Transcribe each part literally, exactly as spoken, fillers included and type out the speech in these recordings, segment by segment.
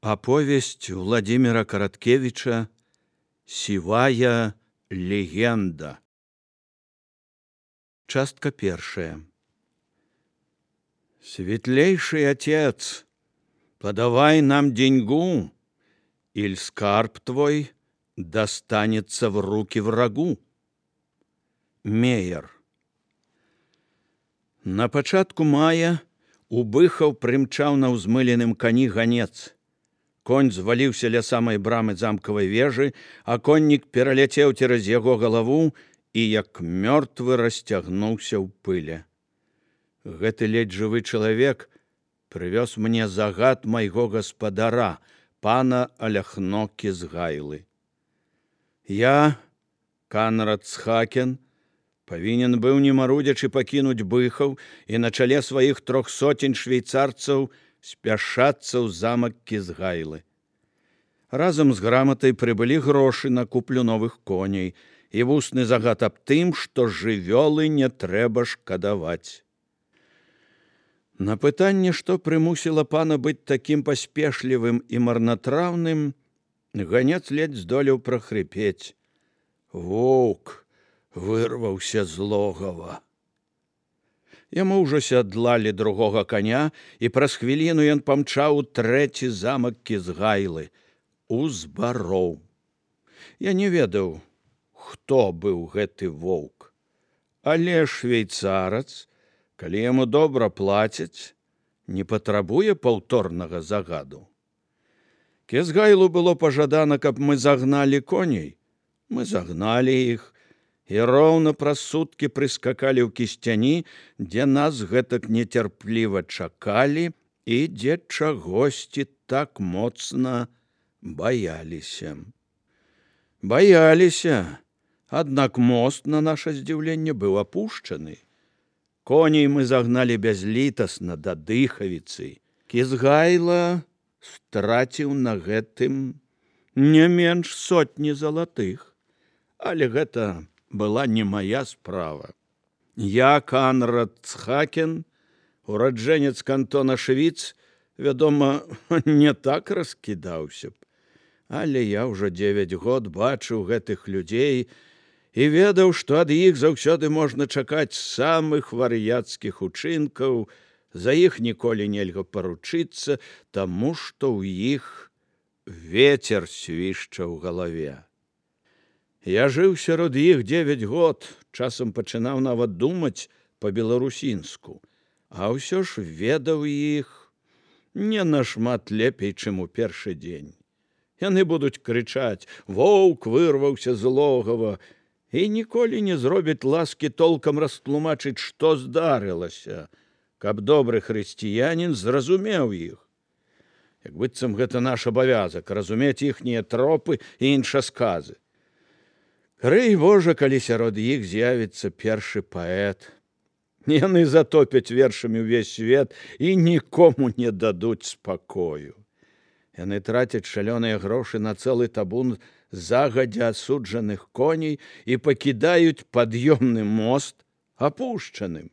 Оповесть Владимира Короткевича «Сивая легенда». Частка первая. Светлейший отец, подавай нам деньгу, иль скарб твой достанется в руки врагу. Меер. На пачатку мая у Быхаў прымчаў на ўзмыленым кані ганец. Конь зваліўся ля самай брамы замкавай вежы, а коннік пераляцеў цераз яго галаву і, як мёртвы, расцягнуўся ў пыле. Гэты ледзь жывы чалавек прывёз мне загад майго гаспадара, пана Аляхно Кізгайлы. Я, Канрад Цхакен, павінен быў, не марудзячы, пакінуць Быхаў і на чале сваіх трох соцень швейцарцаў спяшацца ў замак Кізгайлы. Разам з граматай прыбылі грошы на куплю новых коней і вусны загад аб тым, што жывёлы не трэба шкадаваць. На пытанне, што прымусіла пана быць такім паспешлівым і марнатраўным, ганец ледзь здолеў прахрыпець: «Воўк вырваўся з логава». Яму ўжо сядлалі другога коня, і праз хвіліну ён памчаў у трэці замак Кізгайлы, у Збароў. Я не ведаў, хто быў гэты воўк, але швейцарац, калі яму добра плацяць, не патрабуе паўторнага загаду. Кізгайлу было пажадана, каб мы загналі коней. Мы загналі іх, і роўна праз суткі прыскакалі ў Кісцяні, дзе нас гэтак нецярпліва чакалі і дзе чагосьці так моцна баяліся. Баяліся, аднак мост, на наша здзіўленне, быў апушчаны. Коней мы загналі бязлітасна да Дыхавіцы. Кізгайла страціў на гэтым не менш сотні залатых, але гэта была не моя справа. Я, Канрад Цхакен, ураджэнец кантона Швіц, вядома, не так раскідаўся б, але я ўжо дзевяць год бачыў гэтых людзей і ведаў, што ад іх заўсёды можна чакаць самых вар'яцкіх учынкаў, за іх ніколі нельга паручыцца, таму што ў іх вецер свішча ў галаве. Я жыў сярод іх дзевяць год, часам пачынаў нават думаць па-беларусінску, а ўсё ж ведаў іх не нашмат лепей, чым у першы дзень. Яны будуць крычаць: «Воўк вырваўся з логава», і ніколі не зробяць ласкі толкам растлумачыць, што здарылася, каб добры хрысціянін зразумеў іх. Як быццам гэта наш абавязак — разумець іхнія тропы і іншасказы. Крый Божа, калі сярод іх з'явіцца першы паэт. Яны затопяць вершамі ўвесь свет і нікому не дадуць спакою. Яны трацяць шалёныя грошы на цэлы табун загадзя асуджаных коней і пакідаюць пад'ёмны мост апушчаным.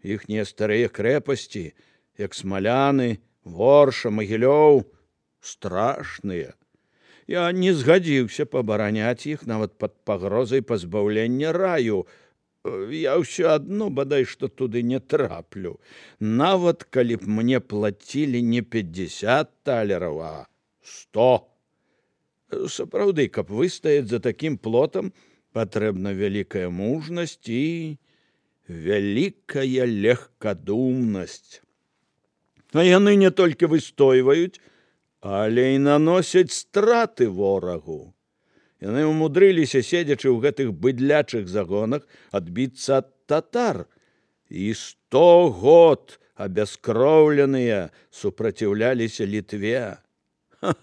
Іхнія старыя крэпасці, як Смаляны, Ворша, Магілёў, страшныя. Я не згадзіўся пабараняць іх нават пад пагрозай пазбаўлення раю. Я ўсё адно бадай што туды не траплю, нават калі б мне плацілі не пятьдесят талераў, а сто. Сапраўды, каб выстаяць за такім плотам, патрэбна вялікая мужнасць і вялікая легкадумнасць. А яны не толькі выстойваюць, але і наносяць страты ворагу. Яны ўмудрыліся, седзячы ў гэтых быдлячых загонах, адбіцца ад татар. І сто год абяскроўленыя супраціўляліся Літве. Ха,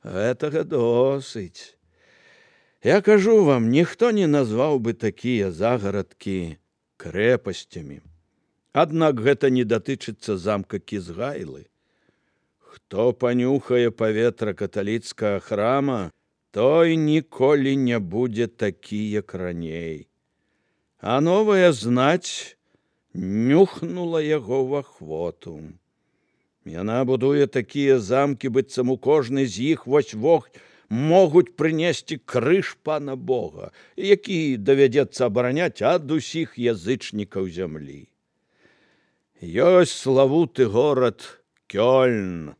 гэтага досыць. Я кажу вам, ніхто не назваў бы такія загарадкі крэпасцямі. Аднак гэта не датычыцца замка Кізгайлы. Хто панюхае паветра каталіцкага храма, той ніколі не будзе такі, як раней. А новая знаць нюхнула яго в ахвоту. Яна будуе такія замкі, быццам у кожны з іх вось-вось могуць прынесці крыж пана Бога, які давядзецца абараняць ад усіх язычнікаў зямлі. Ёсць славуты горад Кёльн,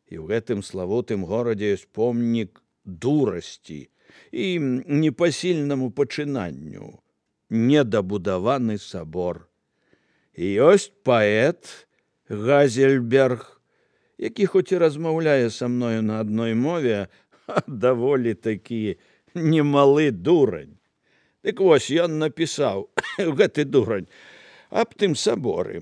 і ў гэтым славутым горадзе ёсць помнік дурасці і непасільнаму пачынанню, недабудаваны сабор. І ёсць паэт Газельберг, які хоць і размаўляе са мною на адной мове, а даволі такі немалы дурань. Дык вось ён напісаў, гэты дурань, аб тым саборы.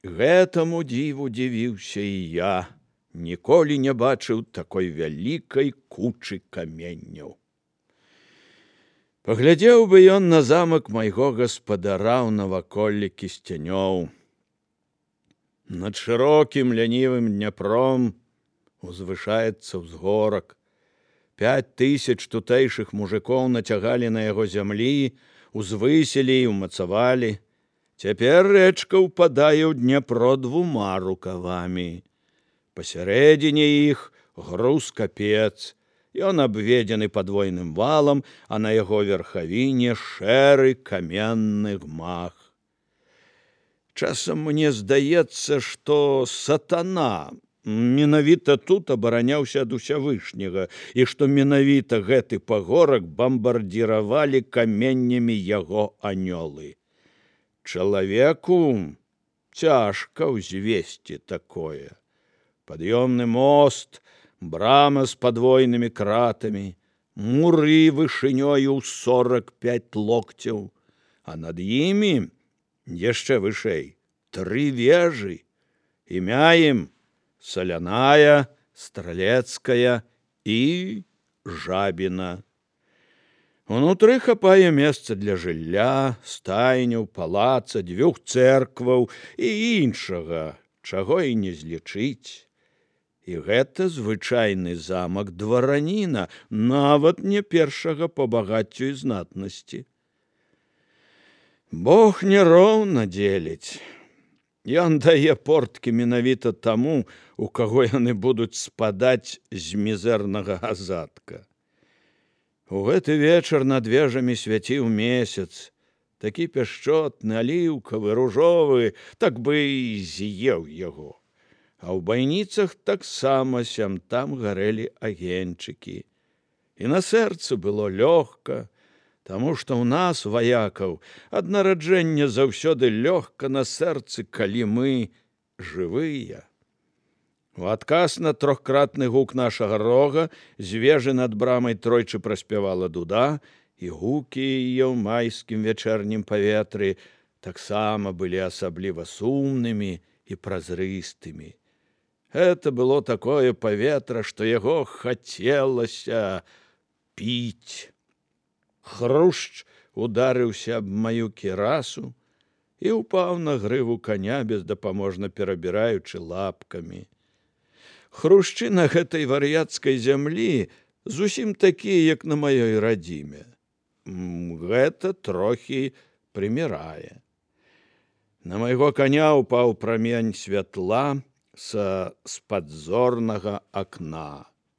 Гэтаму дзіву дзівіўся і я, ніколі не бачыў такой вялікай кучы каменняў. Паглядзеў бы ён на замак майго гаспадара ў наваколлі Кісцянёў. Над шырокім лянівым Дняпром узвышаецца ўзгорак. Пяць тысяч тутэйшых мужикоў нацягалі на яго зямлі, узвысілі і ўмацавалі. Цяпер рэчка ўпадае ў Дняпро двума рукавамі. Пасярэдзіне іх груз-капец. Ён абведзены падвойным валам, а на яго верхавіне шэры каменны гмах. Часам мне здаецца, што сатана менавіта тут абараняўся ад усявышняга, і што менавіта гэты пагорак бамбардзіравалі каменнямі яго анёлы. Чалавеку цяжка ўзвесці такое. Пад'ёмны мост, брама з падвойнымі кратамі, муры вышынёю ў сорак пяць локцяў, а над імі яшчэ вышэй тры вежы. Імя ім Саляная, Стралецкая і Жабіна. Унутры хапае месца для жылля, стайняў, палаца, дзвюх цэркваў і іншага, чаго і не злічыць. І гэта звычайны замак двараніна, нават не першага па багаццю і знатнасці. Бог няроўна дзеліць. Ён дае порткі менавіта таму, у каго яны будуць спадаць з мізэрнага азадка. У гэты вечар над вежамі свяціў месяц, такі пяшчотны, аліўкавы, ружовы, так бы і з'еў яго. А ў байніцах таксама сям-там гарэлі агеньчыкі. І на сэрцы было лёгка, таму што ў нас, ваякаў, ад нараджэння заўсёды лёгка на сэрцы, калі мы жывыя. У адказ на трохкратны гук нашага рога з вежы над брамай тройчы праспявала дуда, і гукі яе ў майскім вячэрнім паветры таксама былі асабліва сумнымі і празрыстымі. Гэта было такое паветра, што яго хацелася піць. Хрушч ударыўся аб маю кірасу і ўпаў на грыву коня, бездапаможна перабіраючы лапкамі. Хрушчы на гэтай вар'яцкай зямлі зусім такія, як на маёй радзіме. Гэта трохі прымірае. На майго коня ўпаў прамень святла са спадзорнага акна.